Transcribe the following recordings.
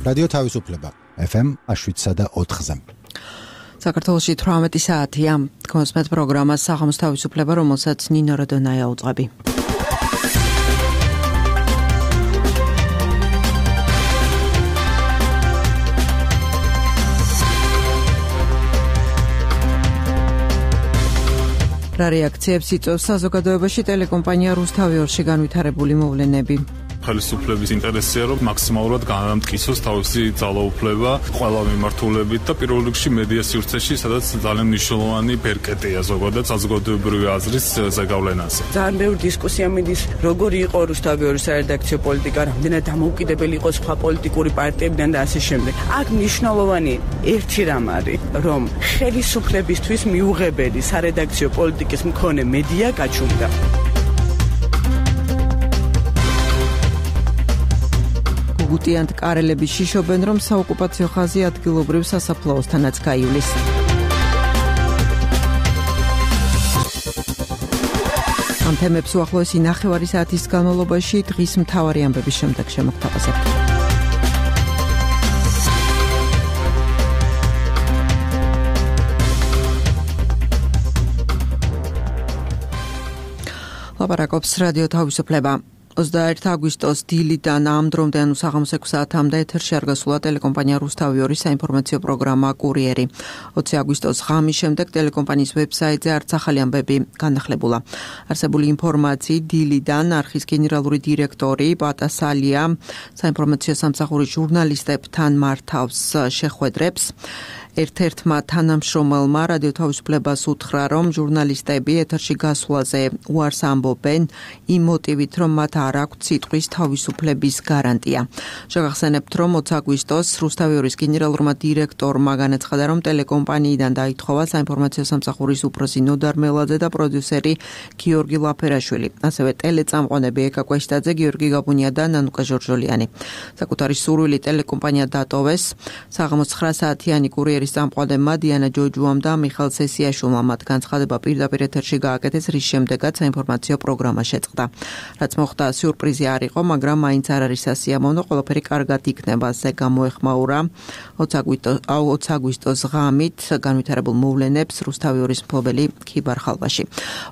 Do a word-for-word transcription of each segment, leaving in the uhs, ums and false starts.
რადიო თავისუფლება ეფ ემ შვიდსა და ოთხზე. საქართველოში თვრამეტი საათია. კონსმეთ პროგრამას საღამოს თავისუფლება, რომელსაც ნინო როდონაია უძღვები. რა რეაქციებს იწვევს საზოგადოებაში ტელეკომპანია რუსთავიორში განვითარებული მოვლენები? ხელისუფლების ინტერესია, რომ მაქსიმალურად განამტკიცოს თავისი ძალაუფლება ყველა მიმართულებით და პირველ რიგში მედია სივრცეში, სადაც ძალიან მნიშვნელოვანი ბერკეტია ზოგადად საზოგადოებრივი აზრის ზეგავლენაზე. ძალიან ბევრი დისკუსია მიდის, როგორი იყო რუსთავიორის სარედაქციო პოლიტიკა, რამდენად დამოუკიდებელი იყო სხვა პოლიტიკური პარტიებიდან და ასე შემდეგ. აქ მნიშვნელოვანი ერთი რამ არის, რომ ხელისუფლებისთვის მიუღებელი სარედაქციო პოლიტიკის მქონე მედია გაჩუმდა. გუტიანთ კარელები შიშობენ, რომ საოკუპაციო ხაზი ადგილობრივ სასაფლაოსთანაც გაივლის. ამ თემებს უახლოესი ნახევარი საათის განმავლობაში დღის მთავარი ამბების შემდეგ შემოგთავაზებთ. ლაპარაკობს რადიო თავისუფლება. ოცდაერთი აგვისტოს დილიდან ამ დრომდე, ანუ საღამოს ექვსი საათამდე ეთერში არ გასულა ტელეკომპანია რუსთავიორის საინფორმაციო პროგრამა კურიერი. ოცი აგვისტოს ღამის შემდეგ ტელეკომპანიის ვებსაიტზე არც ახალი ამბები განახლებულა. არსებული ინფორმაციით დილიდან არხის გენერალური დირექტორი პატასალია საინფორმაციო სამსახურის ჟურნალისტებთან მართავს შეხვედრებს. ერთ-ერთმა თანამშრომელმა რადიო თავისუფლებას უთხრა, რომ ჟურნალისტები ეთერში გასვლაზე უარს ამბობენ იმ მოტივით, რომ მათ არ აქვთ სიტყვის თავისუფლების გარანტია. შეგახსენებთ, რომ ოცი აგვისტოს რუსთავიორის გენერალურმა დირექტორმა განაცხადა, რომ ტელეკომპანიიდან დაითხოვა საინფორმაციო სამსახურის უფროსი ნოდარ მელაძე და პროდიუსერი გიორგი ლაფერაშვილი, ასევე ტელეწამყვანები ეკა კვეშტაძე, გიორგი გაბუნია და ნანუკა ჟორჟოლიანი. საკუთარი სურვილი ტელეკომპანია დატოვეს. საღამოს ცხრა საათიანი კურიერი სამყვალებმა დიანა ჯოჯუამ და მიხელ სესიაშვილმა მათ განცხადება პირდაპირ ეთერში გააკეთეს, რის შემდეგაც საინფორმაციო პროგრამა შეწყდა. რაც მოხდა სიურპრიზი არ იყო, მაგრამ მაინც არ არის სასიამოვნო, ყველაფერი კარგად იქნება, ასე გამოეხმაურა ოცი აგვისტოს ღამით განვითარებულ მოვლენებს რუსთავიორის მფლობელი ქიბარ ხალვაში.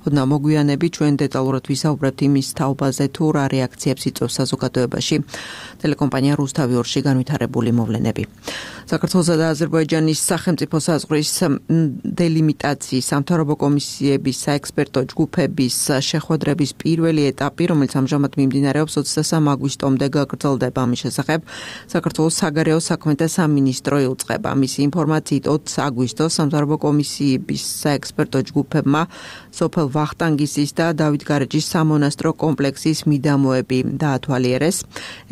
ოდნა მოგვიანები ჩვენ დეტალურად ვისაუბრებთ იმის თაობაზე, თუ რა რეაქციებს იწვევს საზოგადოებაში ტელეკომპანია რუსთავიორში განვითარებული მოვლენები. საქართველოსა და აზერბაიჯანის სახელმწიფო საზღვრის დელიმიტაციის სამთავრობო კომისიების საექსპერტო ჯგუფების შეხვედრების პირველი ეტაპი, რომელიც ამჟამად მიმდინარეობს ოცდასამი აგვისტომდე გაგრძელდება. ამის შესახებ საქართველოს საგარეო საქმეთა სამინისტრო იუწყება. მისი ინფორმაციით ოცი აგვისტოს სამთავრობო კომისიების საექსპერტო ჯგუფებმა სოფელ ვახტანგისის და დავითგარეჯის სამონასტრო კომპლექსის მიდამოები დაათვალიერეს.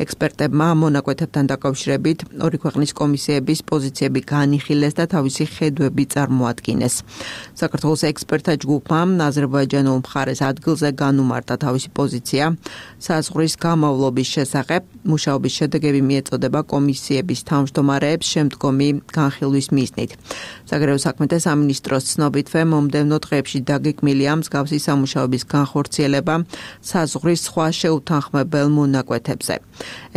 ექსპერტებმა მონაკვეთებთან დაკავშირებით ორი ქვეყნის კომისიების პოზიციები განიხილეს და თავისი ხედვები წარმოადგინეს. საქართველოს ექსპერტთა ჯგუფმა აზერბაიჯანულ მხარეს ადგილზე განუმარტა თავისი პოზიცია საზღვრის გამავლობის შესახებ. მუშაობის შედეგები მიეწოდება კომისიების თავმჯდომარეებს შემდგომი განხილვის მიზნით. საგარეო საქმეთა სამინისტროს ცნობითვე მომდევნო დღეებში დაგეგმილია მსგავსი სამუშაოების განხორციელება საზღვრის სხვა შეუთანხმებელ მონაკვეთებზე.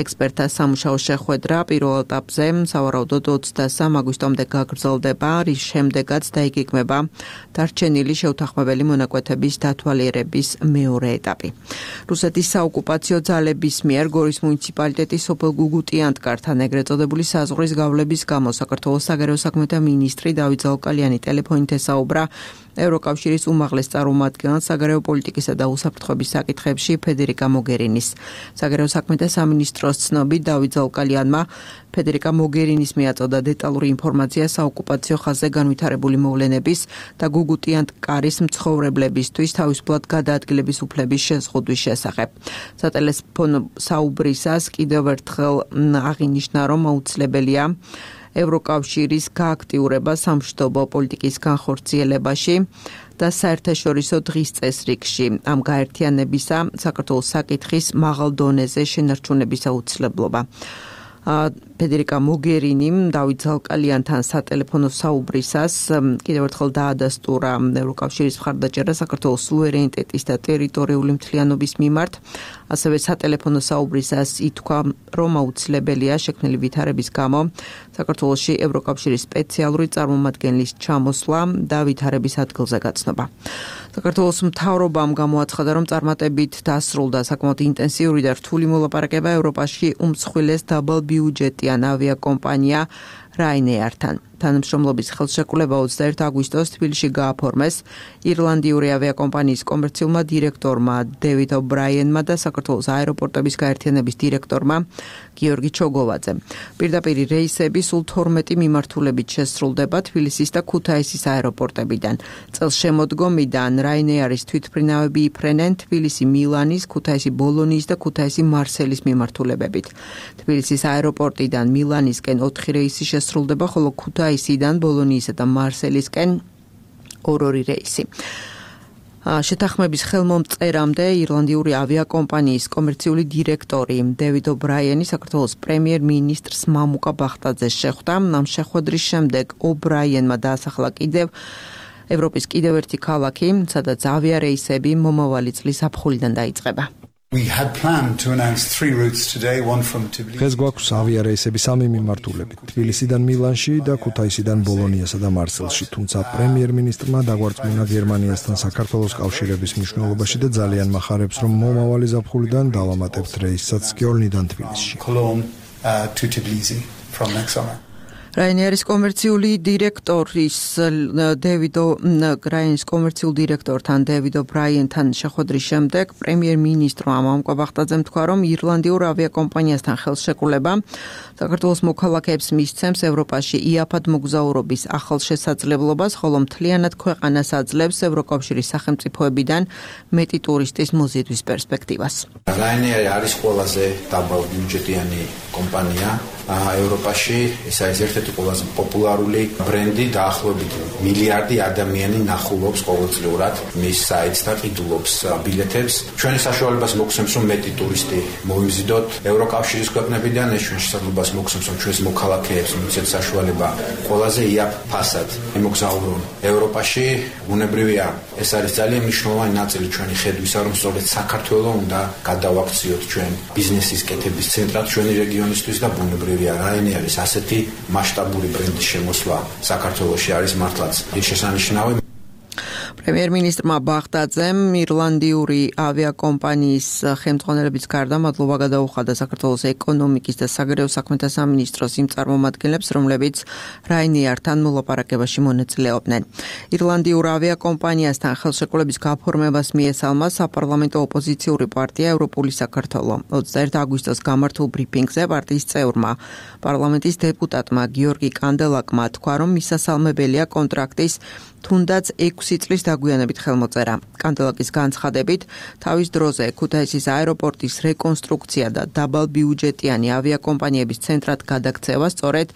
ექსპერტთა სამუშაო შეხვედრა პირველ ეტაპზე სავარაუდოდ ოცდასამი აგვისტომდე გაგრძელდება, რის შემდეგაც დაიგეგმება დარჩენილი შეუთანხმებელი მონაკვეთების დათვალიერების მეორე ეტაპი. რუსეთის საოკუპაციო ძალების მიერ გორის მუნიციპალიტეტის სოფელ გუგუტიანთკართან ეგრეთ წოდებული საზღვრის გავლების გამო საქართველოს საგარეო საქმეთა მინისტრი დავით ზაუკალიანი ტელეფონით ესაუბრა ევროკავშირის უმაღლეს წარმომადგენელს საგარეო პოლიტიკისა და უსაფრთხოების საკითხებში ფედერიკა მოგერინის. საგარეო საქმეთა სამინისტროს ცნობით დავით ზაუკალიანმა ფედერიკა მოგერინის მიაწოდა დეტალური ინფორმაცია საოკუპაციო ხაზზე განვითარებული მოვლენების და გუგუტიანთკარის მცხოვრებლებისთვის თავისუფლად გადაადგილების უფლების შეზღუდვის შესახებ. სატელეფონო საუბრისას კიდევ ერთხელ აღინიშნა, რომ აუცილებელია ევროკავშირის გააქტიურება სამშვიდობო პოლიტიკის განხორციელებაში და საერთაშორისო დღის წესრიგში ამ გაერთიანებისა საქართველოს საკითხის მაღალ დონეზე შენარჩუნების აუცილებლობა. ფედერიკა მოგერინიმ დავით ზალკალიანთან სატელეფონო საუბრისას კიდევ ერთხელ დაადასტურა ევროკავშირის მხარდაჭერა საქართველოს სუვერენიტეტის და ტერიტორიული მთლიანობის მიმართ. ასევე სატელეფონო საუბრისას ითქვა, რომ აუცილებელია შექმნილი ვითარების გამო საქართველოში ევროკავშირის სპეციალური წარმომადგენლის ჩამოსვლა და ვითარების ადგილზე გაცნობა. საქართველოს მთავრობამ გამოაცხადა, რომ წარმატებით დასრულდა საკმაოდ ინტენსიური და რთული მოლაპარაკება ევროპაში უმსხვილეს დაბალბიუჯეტიან ავიაკომპანია Ryanair-თან. თანამშრომლობის ხელშეკრულება ოცდაერთი აგვისტოს თბილისში გააფორმეს ირლანდიური ავიაკომპანიის კომერციულმა დირექტორმა დევიდ ობრაიენმა და საქართველოს აეროპორტების გაერთიანების დირექტორმა გიორგი ჩოგოვაძემ. პირდაპირ რეისები სულ თორმეტი მიმართულებით შესრულდება თბილისის და ქუთაისის აეროპორტებიდან. წელს შემოდგომიდან Ryanair-ის თვითმფრინავები იფრენენ თბილისი მილანის, ქუთაისი ბოლონიის და ქუთაისი მარსელის მიმართულებებით. თბილისის აეროპორტიდან მილანისკენ ოთხი რეისი შესრულდება, ხოლო ქუთაისიდან ბოლონიისა და მარსელისკენ ორ-ორი რეისი. შეთანხმების ხელმომწერამდე ირლანდიური ავიაკომპანიის კომერციული დირექტორი დევიდ ობრაიენი საქართველოს პრემიერ-მინისტრს მამუკა ბახტაძეს შეხვდა. ამ შეხვედრის შემდეგ ობრაიენმა დაასახლა კიდევ ევროპის კიდევ ერთი ქალაქი, სადაც ავიარეისები მომავალი წლის აფხულიდან დაიწყება. We had planned to announce three routes today, one from Tbilisi. დღეს გვაქვს ავიარეისები სამი მიმართულებით, თბილისიდან მილანში და ქუთაისიდან ბოლონიასა და მარსელში, თუმცა პრემიერ-მინისტრმა დაგვარწმუნა გერმანიასთან საქართველოს კავშირების მნიშვნელობაში და ძალიან მახარებს, რომ მომავალი ზაფხულიდან დავამატებთ რეისსაც კიოლნიდან თბილისში. Cologne uh, to Tbilisi from next summer. Ryanair-ის კომერციული დირექტორის დევიდ Ryanair-ის კომერციულ დირექტორთან დევიდ ობრაიენთან შეხვედრის შემდეგ პრემიერ-მინისტრმა მამუკა ბახტაძემ თქვა, რომ ირლანდიურ ავიაკომპანიასთან ხელშეკრულება საქართველოს მოქალაქეებს მისცემს ევროპაში იაფად მოგზაურობის ახალ შესაძლებლობას, ხოლო მთლიანად ქვეყანას აძლევს ევროკავშირის სახელმწიფოებიდან მეტი ტურისტის მოზიდვის პერსპექტივას. Ryanair არის ყველაზე დაბალბიუჯეტიანი კომპანია ევროპაში, ეს არის ერთ-ერთი ყველაზე პოპულარული ბრენდი, დაახლოებით მილიარდი ადამიანი ნახულობს ყოველწლიურად მის საიტს და ყიდულობს ბილეთებს. ჩვენი საშუალებას მოგცემს, რომ მეტი ტურისტი მოიმზიდოთ ევროკავშირის ქვეყნებიდან, ეს ჩვენ შესაძლებლობას მოგცემს, რომ ჩვენს მოქალაქეებს მიცეთ საშუალება ყველაზე იაფ ფასად იმოგზაურონ ევროპაში. ბუნებრივია, ეს არის ძალიან მნიშვნელოვანი ნაწილი ჩვენი ხედვისა, რომ სწორედ საქართველოს უნდა გადავაქციოთ ჩვენ ბიზნესის კეთების ცენტრად ჩვენი რეგიონისთვის და ბუნებრივია Ryanair-ის ასეთი მასშტაბური ბრენდის შემოსვლა საქართველოში არის მართლაც შესანიშნავი. პრემიერ-მინისტრმა ბახტაძემ ირლანდიური ავიაკომპანიის ხელმძღვანელების გარდა მადლობა გადაუხადა საქართველოს ეკონომიკის და საგარეო საქმეთა სამინისტროს იმ წარმომადგენლებს, რომლებიც Ryanair-თან მოლაპარაკებაში მონაწილეობდნენ. ირლანდიურ ავიაკომპანიასთან ხელშეკრულების გაფორმებას მიესალმა საპარლამენტო ოპოზიციური პარტია ევროპული საქართველო. ოცდაერთი აგვისტოს გამართულ ბრიფინგზე პარტიის წევრმა პარლამენტის დეპუტატმა გიორგი კანდელაკმა თქვა, რომ მისასალმებელია კონტრაქტის თუნდაც ექვსი წლის დაგვიანებით ხელმოწერა. კანდელაკის განცხადებით, თავის დროზე ქუთაისის აეროპორტის რეკონსტრუქცია და დაბალბიუჯეტიანი ავიაკომპანიების ცენტრად გადაქცევა სწორედ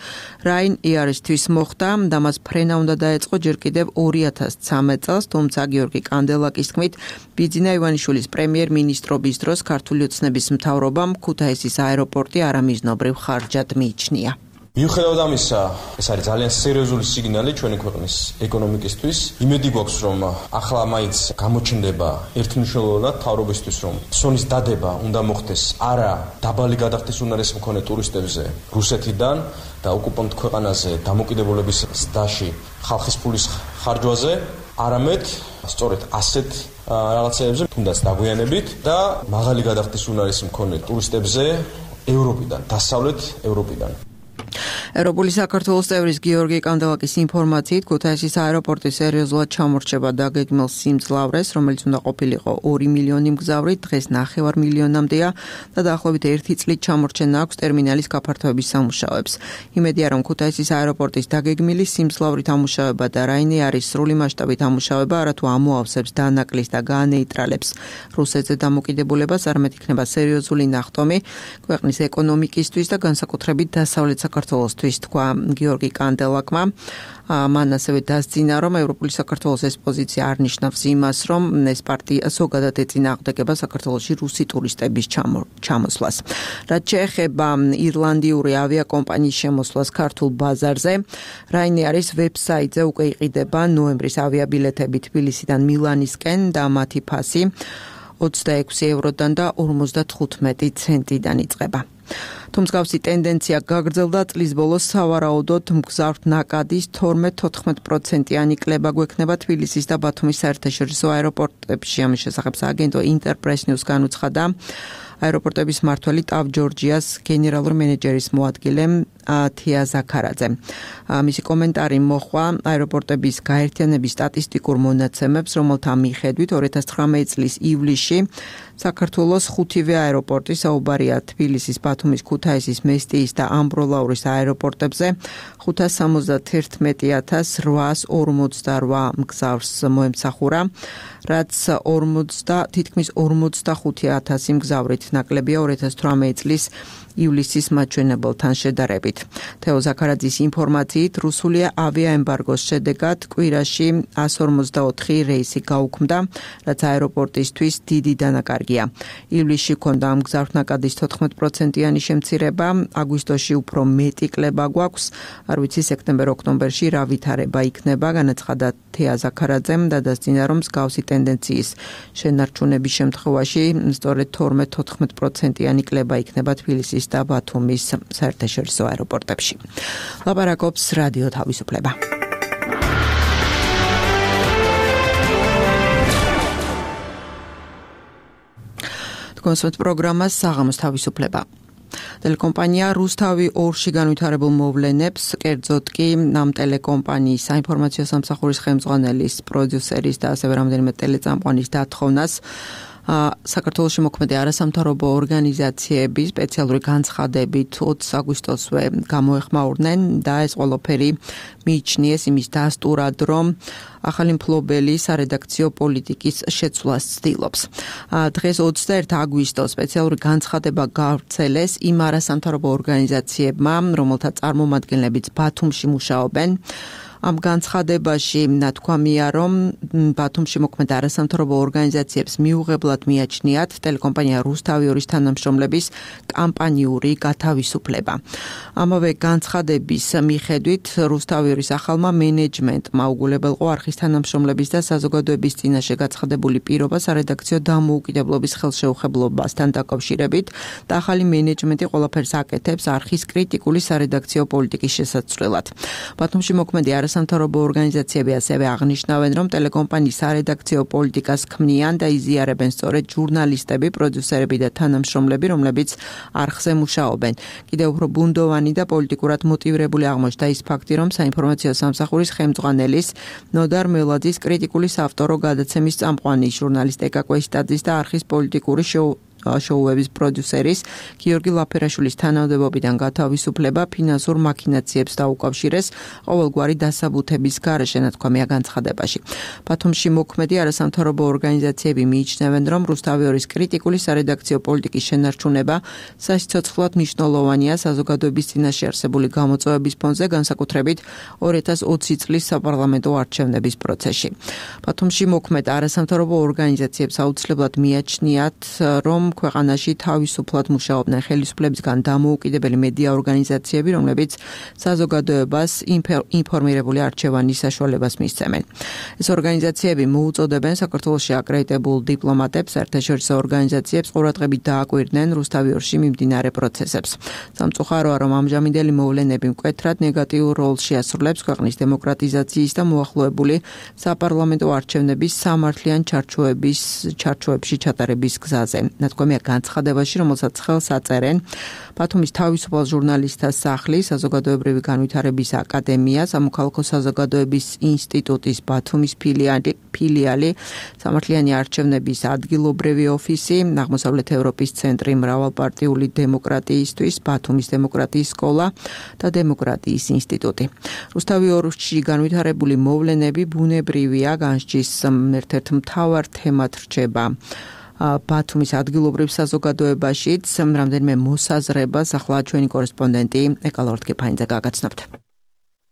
Ryanair-ისთვის მოხდა და მას ფრენა უნდა დაეწყო ჯერ კიდევ ორი ათას ცხრამეტ წელს, თუმცა გიორგი კანდელაკის თქმით, ბიძინა ივანიშვილის პრემიერ-მინისტრობის დროს ქართული ოცნების მთავრობამ ქუთაისის აეროპორტი არამიზნობრივ ხარჯად მიიჩნია. მიუხედავად ამისა, ეს არის ძალიან სერიოზული სიგნალი ჩვენი ქვეყნის ეკონომიკისთვის. იმედი გვაქვს, რომ ახლა მაინც გამოჩნდება ერთმნიშვნელოვნად მთავრობისთვის, რომ სონის დადება უნდა მოხდეს არა დაბალი გადახდის უნარის მქონე ტურისტებზე რუსეთიდან და ოკუპანტ ქვეყანაზე დამოკიდებულების ზრდაში ხალხის ფულის ხარჯვაზე, არამედ სწორედ ასეთ რაღაცეებზე, თუნდაც დაგვიანებით და მაღალი გადახდის უნარის მქონე ტურისტებზე ევროპიდან, დასავლეთ ევროპიდან. ევროპული საქართველოს წევრის გიორგი კანდელაკის ინფორმაციით, ქუთაისის აეროპორტი სერიოზულად ჩამორჩება დაგეგმილ სიმძლავრეს, რომელიც უნდა ყოფილიყო ორი მილიონი მგზავრი, დღეს ნახევარ მილიონამდეა და დაახლოებით ერთი წლით ჩამორჩენა აქვს ტერმინალის გაფართოების სამუშაოებს. იმედია, რომ ქუთაისის აეროპორტის დაგეგმილი სიმძლავრით ამუშავება და Ryanair-ის სრული მასშტაბით ამუშავება არათუ ამოავსებს დანაკლისს და გაანეიტრალებს რუსეთზე დამოკიდებულებას, არამედ იქნება სერიოზული ნახტომი ქვეყნის ეკონომიკისთვის და განსაკუთრებით დასავლეთ საქართველოსთვის. მისთვის თქვა გიორგი კანდელაკმა. მან ასევე დასძინა, რომ ევროპული საქართველოს ეს პოზიცია არ ნიშნავს იმას, რომ ეს პარტია ზოგადად ეწინააღმდეგება საქართველოში რუსი ტურისტების ჩამოსვლას. რაც შეეხება ირლანდიური ავიაკომპანიის შემოსვლას ქართულ ბაზარზე, Ryanair-ის ვებსაიტზე უკვე იყიდება ნოემბრის ავიაბილეთები თბილისიდან მილანისკენ და მათი ფასი ოცდაექვსი ევროდან და ორმოცდათხუთმეტი ცენტიდან იწყება. Თუმსგავსი ტენდენცია გაგრძელდა წლის ბოლოს სავარაუდოდ მგზავრთ ნაკადის თორმეტ-თოთხმეტ პროცენტიანი კლება გვექნება თბილისის და ბათუმის საერთაშორისო აეროპორტებში. ამის შესახებ სააგენტო ინტერპრეს ნიუს განუცხადა აეროპორტების მმართველი ტავ ჯორჯიას გენერალური მენეჯერის მოადგილე თია ზაქარაძე. მისი კომენტარი მოხვა აეროპორტების გაერთიანების სტატისტიკურ მონაცემებს, რომელთა მიხედვით ორი ათას ცხრამეტი წლის ივლისში საქართველოს ხუთივე აეროპორტი საუბარია თბილისის, ბათუმის, ქუთაისის, მესტიის და ამბროლაურის აეროპორტებზე ხუთას სამოცდათერთმეტი ათას რვაას ორმოცდარვა მგზავრს მოემსახურა, რაც ორმოცდა თითქმის ორმოცდახუთი ათასი მგზავრით ნაკლებია ორი ათას თვრამეტი წლის ივლისის მაჩვენებელთან შედარებით. თეო ზაქარაძის ინფორმაციით, რუსული ავიაემბარგოს შედეგად კვირაში εκατს ორმოცდაოთხი რეისი გაუქმდა, რაც აეროპორტისთვის დიდი დანაკარგია. ივლისში ჰქონდა მგზავრთ ნაკადის თოთხმეტ პროცენტიანი შემცირება, აგვისტოში უფრო მეტი კლება გვაქვს, არ ვიცი სექტემბერ-ოქტომბერში რა ვითარება იქნება, განაცხადა თეა ზაქარაძემ და დასძინა, რომ მსგავსი ტენდენციის შენარჩუნების შემთხვევაში სწორედ თორმეტ-თოთხმეტ პროცენტიანი კლება იქნება თბილისის და ბათუმის საერთაშორისო აეროპორტებში. ლაპარაკობს რადიო თავისუფლება. კონსერტ პროგრამას საღამოს თავისუფლება. ტელეკომპანია რუსთავი ორში განვითარებულ მოვლენებს, კერძოდ კი ამ ტელეკომპანიის საინფორმაციო სამსახურის ხელმძღვანელის, პროდიუსერის და ასევე რამდენიმე ტელეწამყვანის დათხოვნას საქართველოში მოქმედი არასამთავრობო ორგანიზაციების სპეციალური განცხადებით ოცი აგვისტოსვე გამოეხმაურნენ და ეს ყველაფერი მიიჩნიეს იმის დასტურად, რომ ახალი მფლობელი სარედაქციო პოლიტიკის შეცვლას ცდილობს. დღეს ოცდაერთი აგვისტოს სპეციალური განცხადება გავრცელეს იმ არასამთავრობო ორგანიზაციებმა, რომელთა წარმომადგენლებიც ბათუმში მუშაობენ. ამ განცხადებაში ნათქვამია, რომ ბათუმში მოქმედ არასამთავრობო ორგანიზაციებს მიუღებლად მიაჩნიათ ტელეკომპანია რუსთავი ორის თანამშრომლების კამპანიური გათავისუფლება. ამავე განცხადების მიხედვით რუსთავი ორის ახალმა მენეჯმენტმა უგულებელყო არხის თანამშრომლების და საზოგადოების წინაშე გაცხადებული პირობა სარედაქციო დამოუკიდებლობის ხელშეუხებლობასთან დაკავშირებით და ახალი მენეჯმენტი ყველაფერს აკეთებს არხის კრიტიკული სარედაქციო პოლიტიკის შესაცვლელად. ბათუმში მოქმედი სამთავრობო ორგანიზაციები ასევე აღნიშნავენ, რომ ტელეკომპანიის სარედაქციო პოლიტიკას ქმნიან და იზიარებენ სწორედ ჟურნალისტები, პროდიუსერები და თანამშრომლები, რომლებიც არხზე მუშაობენ. კიდევ უფრო ბუნდოვანი და პოლიტიკურად მოტივირებული აღმოჩნდა ის ფაქტი, რომ საინფორმაციო სამსახურის ხელმძღვანელის ნოდარ მელაძის კრიტიკული საავტორო გადაცემის წამყვანი ჟურნალისტ ეკა კვესტაძის და არხის პოლიტიკური შოუ შოუების პროდიუსერის გიორგი ლაფერაშვილის თანამდებობიდან გათავისუფლება ფინანსურ მაქინაციებს დაუკავშირეს ყოველგვარი დასაბუთების გარეშე, ნათქვამია განცხადებაში. ბათუმში მოქმედი არასამთავრობო ორგანიზაციები მიიჩნევენ, რომ რუსთავი ორის კრიტიკული სარედაქციო პოლიტიკის შენარჩუნება სასიცოცხლოდ მნიშვნელოვანია საზოგადოების წინაშე არსებული გამოწვევების ფონზე, განსაკუთრებით ორი ათას ოცი წლის საპარლამენტო არჩევნების პროცესში. ბათუმში მოქმედ არასამთავრობო ორგანიზაციებს აუცილებლად მიაჩნიათ, რომ ქვეყანაში თავისუფლად მუშაობდნენ ხელისუფლებისგან დამოუკიდებელი მედია ორგანიზაციები, რომლებიც საზოგადოებას ინფორმირებული არჩევანის საშუალებას მისცემენ. ეს ორგანიზაციები მოუწოდებენ საქართველოში აკრედიტებულ დიპლომატებს, საერთაშორისო ორგანიზაციებს ყურადღებით დააკვირდნენ რუსთავი ორში მიმდინარე პროცესებს. სამწუხაროა, რომ ამჟამინდელი მოვლენები მკვეთრად ნეგატიურ როლს შეასრულებს ქვეყნის დემოკრატიზაციის და მოახლოებული საპარლამენტო არჩევნების სამართლიან ჩარჩოების ჩარჩოებში ჩატარების გზაზე. ნათქვამია განცხადებაში, რომელსაც ხელს აწერენ ბათუმის თავისუფალ ჟურნალისტთა სახლი, საზოგადოებრივი განვითარების აკადემია, სამოქალაქო საზოგადოების ინსტიტუტის ბათუმის ფილიალი, ფილიალი, სამართლიანი არჩევნების ადგილობრივი ოფისი, აღმოსავლეთ ევროპის ცენტრი მრავალპარტიული დემოკრატიისთვის, ბათუმის დემოკრატიის სკოლა და დემოკრატიის ინსტიტუტი. რუსთავი ორში განვითარებული მოვლენები ბუნებრივია, განსჯის ერთ-ერთ მთავარ თემად რჩება ბათუმის ადგილობრივ საზოგადოებაშიც რამდენიმე მოსაზრებას ახლა ჩვენი კორესპონდენტი ეკალორდ გეფაინძე გაგაცნობთ.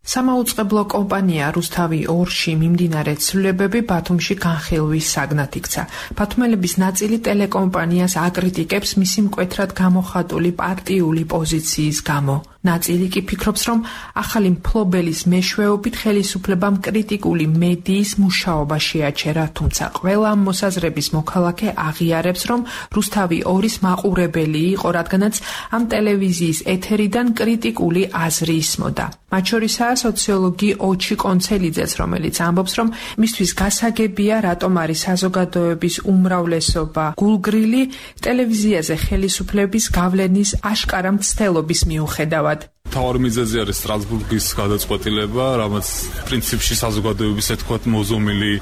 სამაუწყებლო კომპანია რუსთავი ორში მიმდინარე ცვლილებები ბათუმში განხილვის საგნად იქცა. ბათუმელების ნაწილი ტელეკომპანიას აკრიტიკებს მისი მკვეთრად გამოხატული პარტიული პოზიციის გამო. ნაწილი კი ფიქრობს, რომ ახალი მფლობელის მეშვეობით ხელისუფლებამ კრიტიკული მედიის მუშაობა შეაჩერა, თუმცა ყველა მოსაზრების მოქალაქე აღიარებს, რომ რუსთავი ორის მაყურებელი იყო, რადგანაც ამ ტელევიზიის ეთერიდან კრიტიკული აზრი ისმოდა. მათ შორისაა სოციოლოგი ოჩი კონცელიძეც, რომელიც ამბობს, რომ მისთვის გასაგებია, რატომ არის საზოგადოების უმრავლესობა გულგრილი ტელევიზიაზე ხელისუფლების გავლენის აშკარა მცდელობის მიუხედავად. თავარი მიზეზი არის სტრასბურგის გადაწყვეტილება, რამაც პრინციპში საზოგადოების ეთქვათ მოზომილი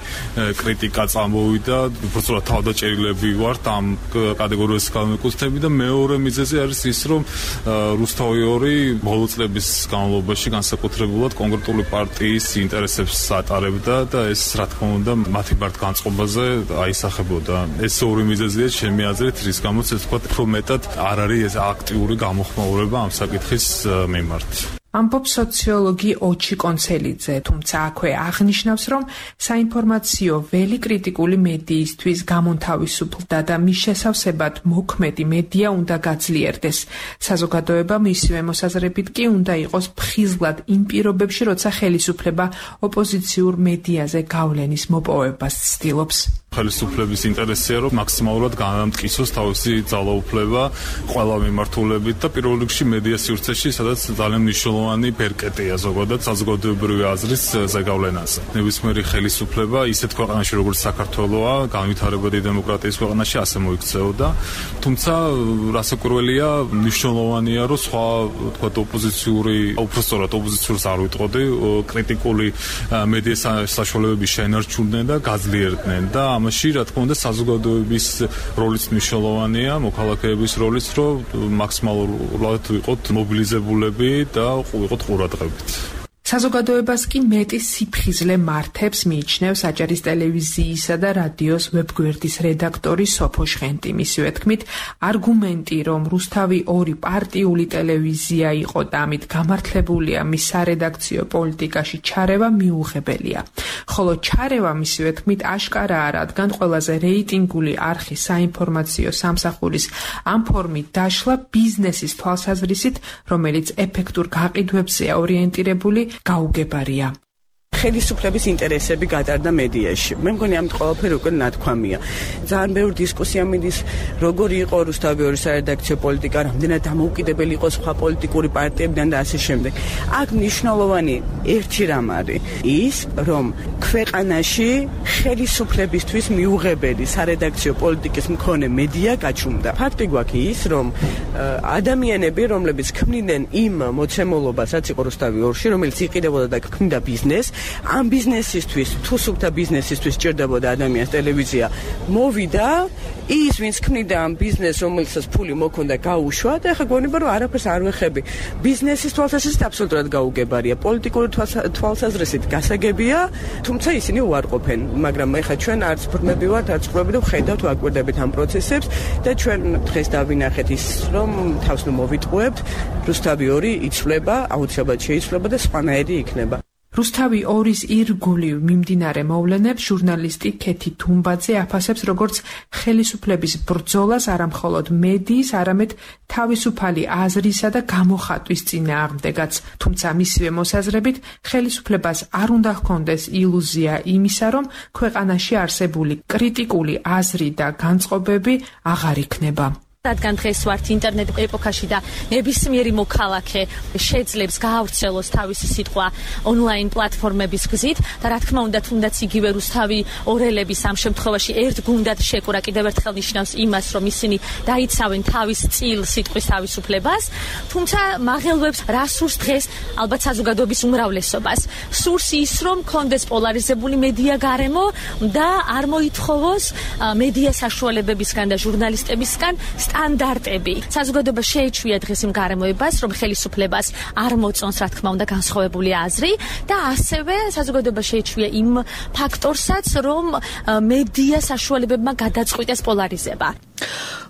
კრიტიკა წამოვიდა, უბრალოდ თავდაჭერილები ვართ ამ კატეგორიას გამეკუთვნები და მეორე მიზეზი არის ის, რომ რუსთავი ორი ბოლო წლების განმავლობაში განსაკუთრებულად კონკრეტული პარტიის ინტერესებს ატარებდა და ეს რა თქმა უნდა მათი ბარტგანწყობაზე აისახებოდა. ეს ორი მიზეზია ჩემი აზრით, რის გამოც ეთქვათ, რომ მეტად არ არის ეს აქტიური გამოხმაურება ამ საკითხის მიმართ. ამბობს სოციოლოგი ოჩი კონცელიძე, თუმცა აქვე აღნიშნავს, რომ საინფორმაციო ველი კრიტიკული მედიისთვის გამონთავისუფლდა და მის შესავსებად მოქმედი მედია უნდა გაძლიერდეს. საზოგადოება მისივე მოსაზრებით კი უნდა იყოს ფხიზლად იმ პირობებში, როცა ხელისუფლება ოპოზიციურ მედიაზე გავლენის მოპოვებას ცდილობს. ხელისუფლების ინტერესია, რომ მაქსიმალურად განამტკიცოს თავისი ძალაუფლება ყველა მიმართულებით და პირველ რიგში მედია სივრცეში, სადაც ძალიან მნიშვნელოვანი ბერკეტია ზოგადად საზოგადოებრივი აზრის ზეგავლენაზე. ნებისმიერი ხელისუფლება ისეთ ქვეყანაში, როგორც საქართველოა, განვითარებადი დემოკრატიის ქვეყანაში ასე მოიქცეოდა. თუმცა რასაკვირველია, მნიშვნელოვანია, რომ სხვა თქვათ ოპოზიციური, უბრალოდ ოპოზიციურს არ ვიტყოდი, კრიტიკული მედიის საშუალებები შეენარჩუნდნენ და გაძლიერდნენ და ამაში რა თქმა უნდა საზოგადოების როლიც მნიშვნელოვანია, მოქალაქეების როლიც, რომ მაქსიმალურად ვიყოთ მობილიზებულები და ვიყოთ ყურადღებით. საზოგადოებას კი მეტი სიფხიზლე მართებს, მიიჩნევს აჭარის ტელევიზიისა და რადიოს ვებგვერდის რედაქტორი სოფო შხენტი. მისივე თქმით, არგუმენტი, რომ რუსთავი ორი პარტიული ტელევიზია იყო და ამით გამართლებულია მის სარედაქციო პოლიტიკაში ჩარევა მიუღებელია. ხოლო ჩარევა მისივე თქმით აშკარაა, რადგან ყველაზე რეიტინგული არხი საინფორმაციო სამსახურის ამ ფორმით დაშლა ბიზნესის თვალსაზრისით, რომელიც ეფექტურ გაყიდვებზეა ორიენტირებული, გაუგებარია. ხელისუფლების ინტერესები გატარდა მედიაში. მე მგონი ამით ყველაფერი უკვე ნათქვამია. ძალიან ბევრი დისკუსია მიდის, როგორი იყო რუსთავი ორის სარედაქციო პოლიტიკა, რამდენად დამოუკიდებელი იყო სხვა პოლიტიკური პარტიებიდან და ასე შემდეგ. აქ მნიშვნელოვანი ერთი რამ არის ის, რომ ქვეყანაში ხელისუფლებისთვის მიუღებელი სარედაქციო პოლიტიკის მქონე მედია გაჩუმდა. ფაქტი გვაქვს ის, რომ ადამიანები, რომლებიც ქმნიდნენ იმ მოცემულობას, რაც იყო რუსთავი ორში, რომელიც იყიდებოდა და ქმნიდა ბიზნესს, ამ ბიზნესისთვის, თუ სუფთა ბიზნესისთვის ჭირდებოდა ადამიანს ტელევიზია, მოვიდა ის, ვინც ქმნიდა ამ ბიზნესს, რომელსაც ფული მოქონდა, გაუშვა და ეხლა გონება, რომ არაფერს არ ვეხები. ბიზნესის თვალსაზრისით აბსოლუტურად გაუგებარია, პოლიტიკური თვალსაზრისით გასაგებია, თუმცა ისინი უარყოფენ, მაგრამ ეხლა ჩვენ არც ბრმები ვართ, არც ყრუები და ვხედავთ, ვაკვირდებით ამ პროცესებს და ჩვენ დღეს დავინახეთ ის, რომ თავს ნუ მოვიტყუებთ, რუსთავი ორი იცვლება, აუცილებლად შეიცვლება და სხვანაირი იქნება. რუსთავი ორის ირგულივ მიმდინარე მოვლენებს ჟურნალისტი ქეთი თუმბაძე აფასებს როგორც ხელისუფლების ბრძოლას არამხოლოდ მედიის, არამედ თავისუფალი აზრისა და გამოხატვის წინააღმდეგაც. თუმცა მისივე მოსაზრებით ხელისუფლებას არ უნდა ჰქონდეს ილუზია იმისა, რომ ქვეყანაში არსებული კრიტიკული აზრი და განწყობები აღარ იქნება. რადგან დღეს ვართ ინტერნეტ ეპოქაში და ნებისმიერი მოქალაქე შეძლებს გაავრცელოს თავისი სიტყვა ონლაინ პლატფორმების გზით და რა თქმა უნდა თუნდაც იგივე რუსთავი ორელების ამ შემთხვევაში ერთ გუნდად შეკურა კიდევ ერთხელ ნიშნავს იმას, რომ ისინი დაიცავენ თავის წილ სიტყვის თავისუფლებას, თუმცა მაღელვებს რა სურს დღეს ალბათ საზოგადოების უმრავლესობას. სურს ის, რომ კონდეს პოლარიზებული მედია გარემო და არ მოითხოვოს მედია საშუალებებისგან და ჟურნალისტებისგან სტანდარტები. საზოგადოება შეეჩვია დღეს იმ გარემოებას, რომ ხელისუფლებას არ მოწონს, რა თქმა უნდა, განსხვავებული აზრი და ასევე საზოგადოება შეეჩვია იმ ფაქტორსაც, რომ მედია საშუალებებმა გადაწყვიტეს პოლარიზება.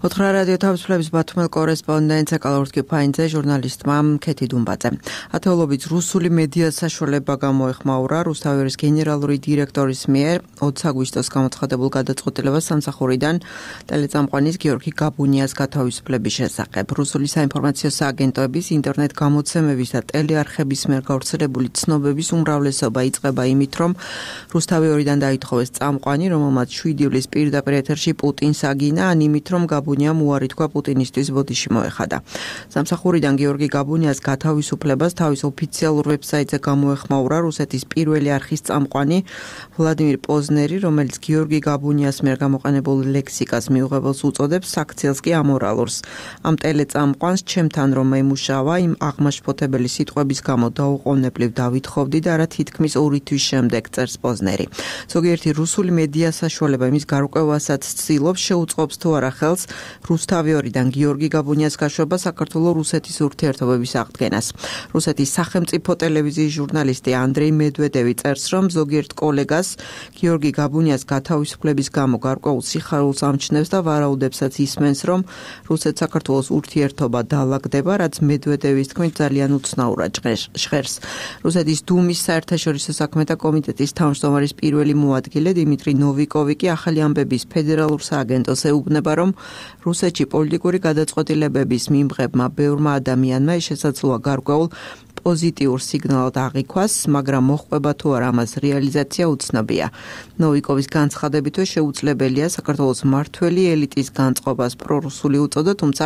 ოთხრა რადიო თავისუფლების ბათუმელ კორესპონდენტ ეკალორტკი ფაინძე ჟურნალისტმა ქეთი დუმბაძე. ათეულობით რუსული მედია საშუალება გამოეხმაურა რუსთავის გენერალური დირექტორის მიერ ოცი აგვისტოს გამოცხადებულ გადაწყვეტილებას სამსახურიდან ტელეწამყვანის გიორგი გაბუნიას გათავისუფლების შესახებ. რუსული საინფორმაციო სააგენტოების ინტერნეტ გამოცემების და ტელეარხების მიერ გავრცელებული ცნობების უმრავლესობა იწყება იმით, რომ რუსთავი ორიდან დაითხოვეს წამყვანი, რომელმაც შვიდი ივლისს პირდაპირ ეთერში პუტინს აგინა, ან იმით, რომ გაბუნიამ უარი თქვა პუტინისტვის ბოდიში მოეხადა. სამსახურიდან გიორგი გაბუნიას გათავისუფლებას თავის ოფიციალურ ვებსაიტზე გამოეხმაურა რუსეთის პირველი არხის წამყვანი ვლადიმირ პოზნერი, რომელიც გიორგი გაბუნიას მიერ გამოყენებულ ლექსიკას მიუღებელს უწოდებს, საქციელს კი ამორალურს. ამ ტელეწამყვანს ჩემთან რომ ემუშავა, იმ აღმაშფოთებელი სიტყვების გამო დაუყოვნებლივ დავითხოვდი და რა თითქმის ორი თვის შემდეგ წერს პოზნერი. ზოგიერთი რუსული მედია საშუალება იმის გარკვევასაც ცდილობს, შეუწყობს თუ არა ხელს რუსთავი ორიდან გიორგი გაბუნიას გაშვება საქართველო-რუსეთის ურთიერთობების აღდგენას. რუსეთის სახელმწიფო ტელევიზიის ჟურნალისტი ანდრეი მედვედევი წერს, რომ ზოგიერთ კოლეგას გიორგი გაბუნიას გათავისუფლების გამო გარკვეულ სიხარულს ამჩნევს და ვარაუდებსაც ისმენს, რომ რუსეთ-საქართველოს ურთიერთობა დაალაგდება, რაც მედვედევის თქმით ძალიან უცნაურად ჟღერს. რუსეთის დუმის საერთაშორისო საქმეთა კომიტეტის თავმჯდომარის პირველი მოადგილე დიმიტრი ნოვიკოვი კი ახალი ამბების ფედერალურ სააგენტოს ეუბნება, რომ რუსეთში პოლიტიკური გადაწყვეტილებების მიმღებმა ბევრმა ადამიანმა შესაძლოა გარკვეულ პოზიტიურ სიგნალად აღიქვას, მაგრამ მოხდება თუ არა ამას რეალიზაცია უცნობია. ნოვიკოვის განცხადებითვე შეუძლებელია საქართველოს მმართველი ელიტის განწყობას პრორუსული უწოდა, თუმცა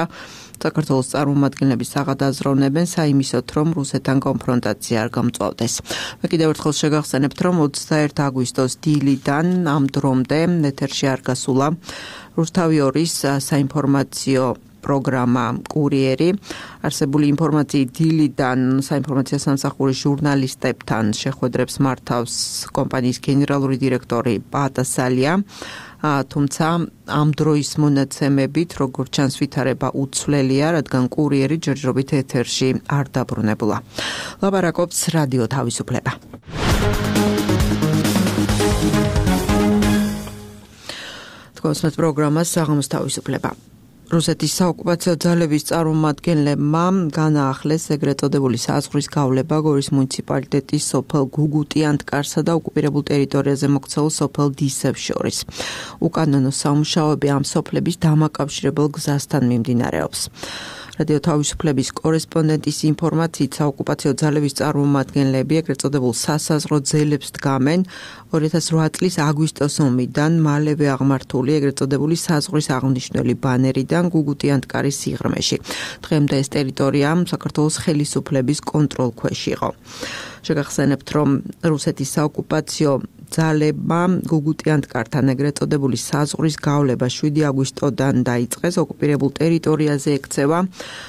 საქართველოს წარმომადგენლები საღადაზროვნებენ საიმისოთ, რომ რუსეთთან კონფრონტაცია არ გამწვავდეს. მე კიდევ ერთხელ შეგახსენებთ, რომ ოცდაერთი აგვისტოს დილიდან ამ დრომდე ეთერში არ გასულა რუსთავი ორის საინფორმაციო პროგრამა კურიერი. არსებული ინფორმაციით დილიდან საინფორმაციო სამსახურის ჟურნალისტებთან შეხვედრებს მართავს კომპანიის გენერალური დირექტორი პატასალია. თუმცა ამ დროის მონაცემებით, როგორც ჩანს, ვითარება უცვლელია, რადგან კურიერი ჯერჯერობით ეთერში არ დაბრუნებულა. ლაპარაკობს რადიო თავისუფლება. თქვენს პროგრამას საღამოს თავისუფლება. რუსეთის საოკუპაციო ძალების წარმომადგენლებმა განაახლეს ეგრეთ წოდებული საზღვრის გავლება გორის მუნიციპალიტეტის სოფელ გუგუტიანტკარსა და ოკუპირებულ ტერიტორიაზე მოქცეულ სოფელ დისებს შორის. უკანონო სამუშაოები ამ სოფლების დამაკავშირებელ გზასთან მიმდინარეობს. რადიო თავისუფლების კორესპონდენტის ინფორმაციით საოკუპაციო ძალების წარმომადგენლები ეგრეთ წოდებულ სასაზღვრო ძელებს დგამენ ორი ათას რვა წლის აგვისტოს ომიდან მალევე აღმართული ეგრეთ წოდებული საზღვრის აღნიშნული ბანერიდან გუგუტიანტკარის სიღრმეში. დღემდე ეს ტერიტორია საქართველოს ხელისუფლების კონტროლქვეშ იყო. შეგახსენებთ, რომ რუსეთის საოკუპაციო ძალებმა გუგუტიანტკართან ეგრეთ წოდებული საზღვრის გავლება შვიდი აგვისტოდან დაიწყეს. ოკუპირებულ ტერიტორიაზე ექცევა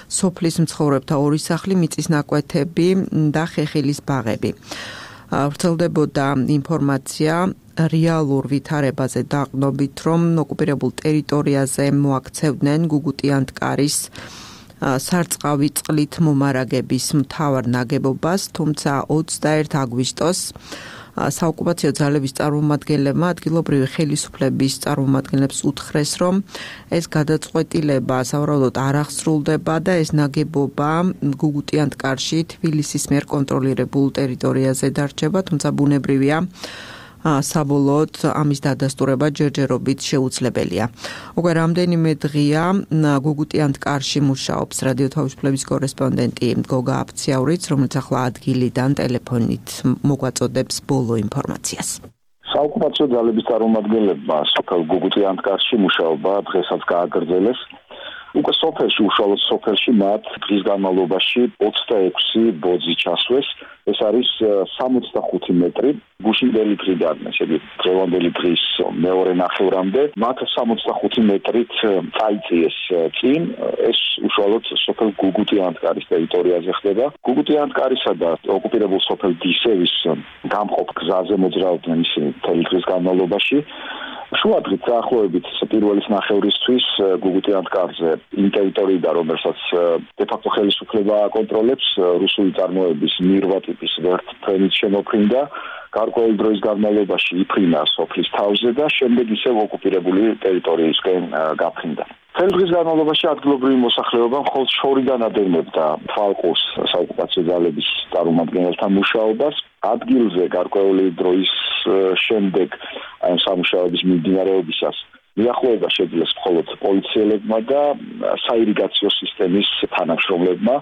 სოფლის მცხოვრებთა ორი სახლი, მიწის ნაკვეთები და ხეხილის ბაღები. ვრცელდებოდა ინფორმაცია რეალურ ვითარებაზე დაყნობით, რომ ოკუპირებულ ტერიტორიაზე მოაქცევდნენ გუგუტიანტკარის სარწყავი წყლით მომარაგების მთავარ ნაგებობას, თუმცა ოცდაერთი აგვისტოს საოკუპაციო ძალების წარმომადგენლებმა ადგილობრივი ხელისუფლების წარმომადგენლებს უთხრეს, რომ ეს გადაწყვეტილება სავარაუდოდ არ აღსრულდება და ეს ნაგებობა გუგუტიანტკარში თბილისის მიერ კონტროლირებულ ტერიტორიაზე დარჩება, თუმცა ბუნებრივია საბოლოოდ ამის დადასტურება ჯერჯერობით შეუძლებელია. უკვე რამდენიმე დღეა გუგუტიანტკარში მუშაობს რადიო თავისუფლების კორესპონდენტი გოგა აფციაურიც, რომელიც ახლა ადგილიდან ტელეფონით მოგვაწოდებს ბოლო ინფორმაციას. საოკუპაციო ძალების წარმომადგენლებმა სოფელ გუგუტიანტკარში მუშაობა დღესაც გააგრძელეს. უკვე სოფელში, უშუალოდ სოფელში მათ დღის განმავლობაში ოცდაექვსი ბოძი ჩასვეს. ეს არის სამოცდახუთი მეტრი გუშინდელი დღიდან, შეგვიძლია დღევანდელი დღის მეორე ნახევრამდე მათ სამოცდახუთი მეტრით წაიწიეს წინ. ეს უშუალოდ სოფელ გუგუტიანტკარის ტერიტორიაზე ხდება. გუგუტიანტკარისა და ოკუპირებულ სოფელ დისევის გამყოფ გზაზე მოძრაობდნენ ისინი მთელი დღის განმავლობაში. შუადღით დაახლოებით პირველის ნახევრისთვის გუგუტი ანტკარზე იმ ტერიტორიიდან, რომელსაც დე-ფაქტო ხელისუფლება აკონტროლებს, რუსული წარმოების მირვა ტიპის ვერტმფრენით შემოფრინდა, გარკვეული დროის განმავლობაში იფრინა სოფლის თავზე და შემდეგ ისევ ოკუპირებული ტერიტორიისკენ გაფრინდა. წელი დღის განმავლობაში ადგილობრივი მოსახლეობა მხოლოდ შორიდან ადევნებდა თვალყურს საოკუპაციო ძალების წარმომადგენელთა მუშაობას. ადგილზე გარკვეული დროის შემდეგ აი სამუშაოების მიმდინარეობისას მიახლოება შეძლეს მხოლოდ პოლიციელებმა და საირიგაციო სისტემის თანამშრომლებმა.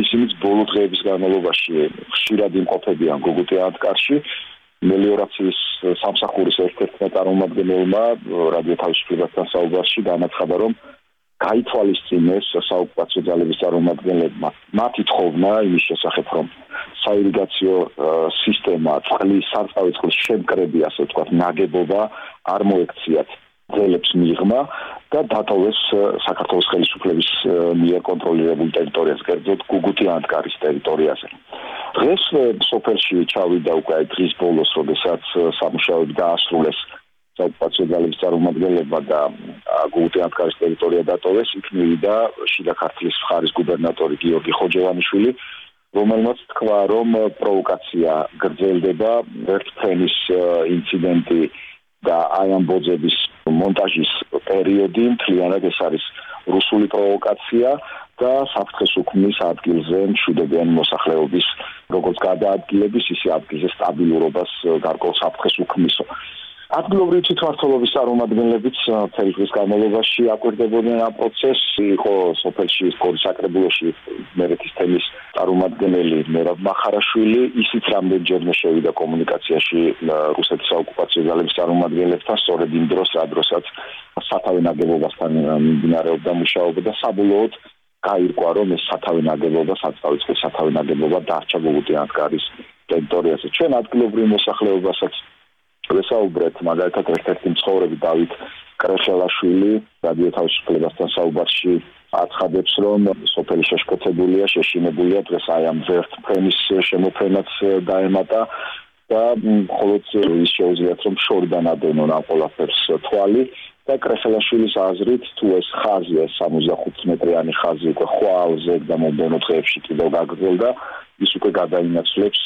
ისინიც ბოლო დღეების განმავლობაში ხშირად იმყოფებიან გუგუტი ანტკარში. მელიორაციის სამსახურის ერთ-ერთმა წარმომადგენელმა რადიო თავისუფლებასთან საუბარში განაცხადა, რომ გაითვალისწინეს საოკუპაციო ძალების წარმომადგენლებმა მათი თხოვნა იმის შესახებ, რომ საირიგაციო სისტემა, წყლის, სარწყავი წყლის შემკრები, ასე ვთქვათ, ნაგებობა არ მოექციათ ძალებს მიღმა და დატოვეს საქართველოს ხელისუფლების მიერ კონტროლირებულ ტერიტორიაზე, კერძოდ გუგუტი ანტკარის ტერიტორიაზე. დღეს სოფელში ჩავიდა უკვე დღის ბოლოს, როდესაც სამუშაოები დაასრულეს საოკუპაციო ძალების წარმომადგენლებმა და გუგუტი ანტკარის ტერიტორია დატოვეს, იქ მივიდა შიდა ქართლის მხარის გუბერნატორი გიორგი ხოჯევანიშვილი, რომელმაც თქვა, რომ პროვოკაცია გრძელდება, ვერტმფრენის ინციდენტი და აი ამ ბოძების მონტაჟის პერიოდი მთლიანად ეს არის რუსული პროვოკაცია და საფრთხეს უქმნის ადგილზე მშვიდობიანი მოსახლეობის როგორც გადაადგილების, ისე ადგილზე სტაბილურობას გარკვეულ საფრთხეს უქმნისო. ადგილობრივი თვითმმართველობის წარმომადგენლებიც მთელი დღის განმავლობაში აკვირდებოდნენ ამ პროცესს. იყო სოფელში სკოლის საკრებულოში მერეთის თემის წარმომადგენელი მერაბ მახარაშვილი, ისიც რამდენჯერმე შევიდა კომუნიკაციაში რუსეთის საოკუპაციო ძალების წარმომადგენლებთან, სწორედ იმ დროს, რა დროსაც სათავე ნაგებობასთან მიმდინარეობდა მუშაობა და საბოლოოდ გაირკვა, რომ ეს სათავე ნაგებობა, საწავი წყლის სათავე ნაგებობა დარჩა გუგუტი ანტკარის ტერიტორიაზე. ჩვენ ადგილობრივ მოსახლეობასაც ვესაუბრეთ, მაგალითად ერთ-ერთი მცხოვრები დავით კრეშელაშვილი რადიო თავისუფლებასთან საუბარში აცხადებს, რომ სოფელი შეშფოთებულია, შეშინებულია, დღეს აი ამ ვერტმფრენის შემოფრენაც დაემატა და მხოლოდ ის შეუძლიათ, რომ შორიდან ადევნონ ამ ყველაფერს თვალი და კრეშელაშვილის აზრით, თუ ეს ხაზი, ეს სამოცდახუთ მეტრიანი ხაზი უკვე ხვალზე და მომდევნო დღეებში კიდევ გაგრძელდა, ის უკვე გადაინაცვლებს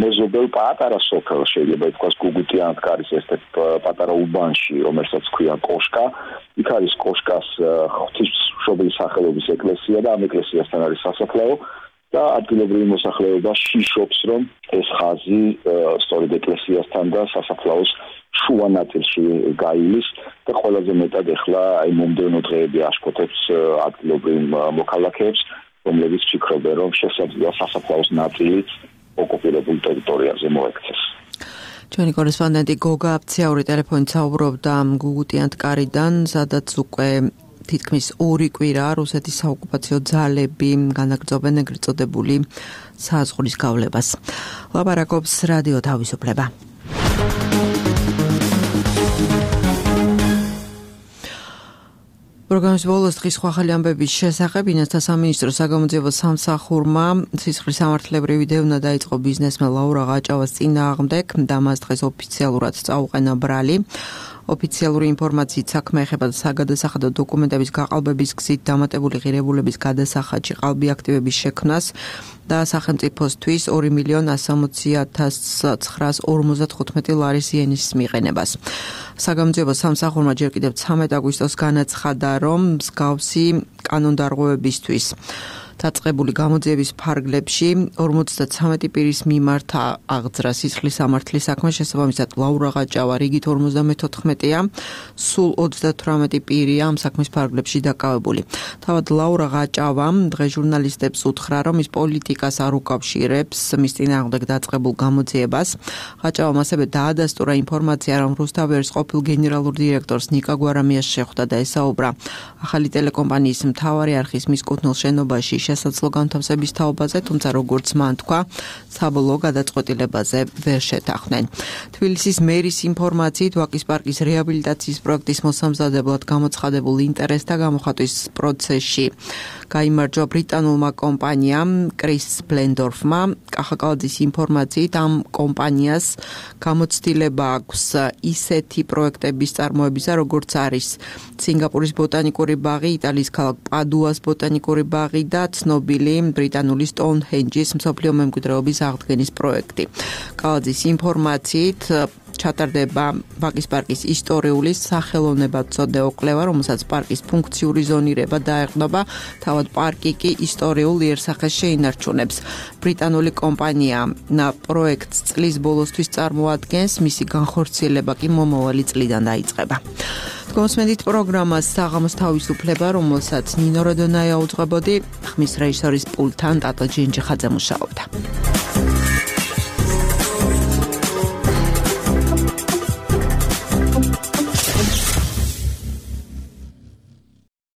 მეზობელ პატარა სოფელს, შეიძლება ითქვას გუგუტი ანტკარის ერთ-ერთ პატარა უბანში, რომელსაც ქვია კოშკა. იქ არის კოშკას ღვთისმშობლის სახელობის ეკლესია და ამ ეკლესიასთან არის სასაფლაო და ადგილობრივი მოსახლეობა შიშობს, რომ ეს ხაზი სწორედ ეკლესიასთან და სასაფლაოს შუა ნაწილში გაივლის და ყველაზე მეტად ეხლა აი მომდევნო დღეები აშფოთებს ადგილობრივ მოქალაქეებს, რომლებიც ფიქრობენ, რომ შესაძლოა სასაფლაოს ნაწილიც ოკუპირებულ ტერიტორიაზე მოექცეს. ჩვენი კორესპონდენტი გოგა აფციაური ტელეფონით საუბრობდა გუგუტი ანტკარიდან, სადაც უკვე თითქმის ორი კვირა რუსეთის საოკუპაციო ძალები განაგრძობენ ეგრეთ წოდებული საზღვრის გავლებას. ლაპარაკობს რადიო თავისუფლება. პროგრამის ბოლოს დღის სხვა ახალი ამბების შესახებ ინესთა სამინისტრო საგამოძიებო სამსახურმა სისხლის სამართლებრივი დევნა დაიწყო ბიზნესმენ ლაურა ღაჭავას წინააღმდეგ და მას დღეს ოფიციალურად წაუყენა ბრალი. ოფიციალური ინფორმაციით საქმე ეხება საგადასახადო დოკუმენტების გაყალბების გზით დამატებული ღირებულების გადასახადში ყალბი აქტივების შექმნას და სახელმწიფოსთვის ორი მილიონი ასამოცი ათას ცხრაას ორმოცდათხუთმეტი ლარის იენის მიყენებას. საგამოძიებო სამსახურმა ჯერ კიდევ ცამეტ აგვისტოს განაცხადა, რომ მსგავსი კანონდარღვევებისთვის დაწყებული გამოძიების ფარგლებში ორმოცდაცამეტი პირის მიმართ აღძრა სისხლის სამართლის საქმე, შესაბამისად ლაურა ღაჭავა რიგით ორმოცდამეთოთხმეტია, სულ ოცდათვრამეტი პირია ამ საქმის ფარგლებში დაკავებული. თავად ლაურა ღაჭავამ დღეს ჟურნალისტებს უთხრა, რომ ის პოლიტიკას არ უკავშირებს მის წინააღმდეგ დაწყებულ გამოძიებას. ღაჭავამ ასევე დაადასტურა ინფორმაცია, რომ რუსთავერის ყოფილ გენერალურ დირექტორს ნიკა გვარამიას შეხვდა და ესაუბრა ახალი ტელეკომპანიის მთავარი არხის მისკუთნელ შენობაში შესაძლო განთავსების თაობაზე, თუმცა როგორც მან თქვა, საბოლოო გადაწყვეტილებაზე ვერ შეთანხმდნენ. თბილისის მერის ინფორმაციით, ვაკის პარკის რეაბილიტაციის პროექტის მოსამზადებლად გამოცხადებულ ინტერესთა გამოხატვის პროცესში გაიმარჯვა ბრიტანულმა კომპანიამ კრის ბლენდორფმა. კახაკალაძის ინფორმაციით ამ კომპანიას გამოცდილება აქვს ისეთი პროექტების წარმოებისა, როგორც არის სინგაპურის ბოტანიკური ბაღი, იტალიის ქალაქ პადუას ბოტანიკური ბაღი და ცნობილი ბრიტანული სტოუნჰენჯის მსოფლიო მემკვიდრეობის აღდგენის პროექტი. კალაძის ინფორმაციით ჩატარდება ვაკის პარკის ისტორიული სახელოვნებათმცოდნეო კვლევა, რომელსაც პარკის ფუნქციური ზონირება დაეყრდნობა, თავად პარკი კი ისტორიულ იერსახეს შეინარჩუნებს. ბრიტანული კომპანია პროექტს წლის ბოლოსთვის წარმოადგენს, მისი განხორციელება კი მომავალი წლიდან დაიწყება. გონსმენდით პროგრამას საღამოს თავისუფლება, რომელსაც ნინო როდონაია უძღვებოდი, ხმის რეჟისორის პულტთან ტატო ჯინჯიხაძე მუშაობდა.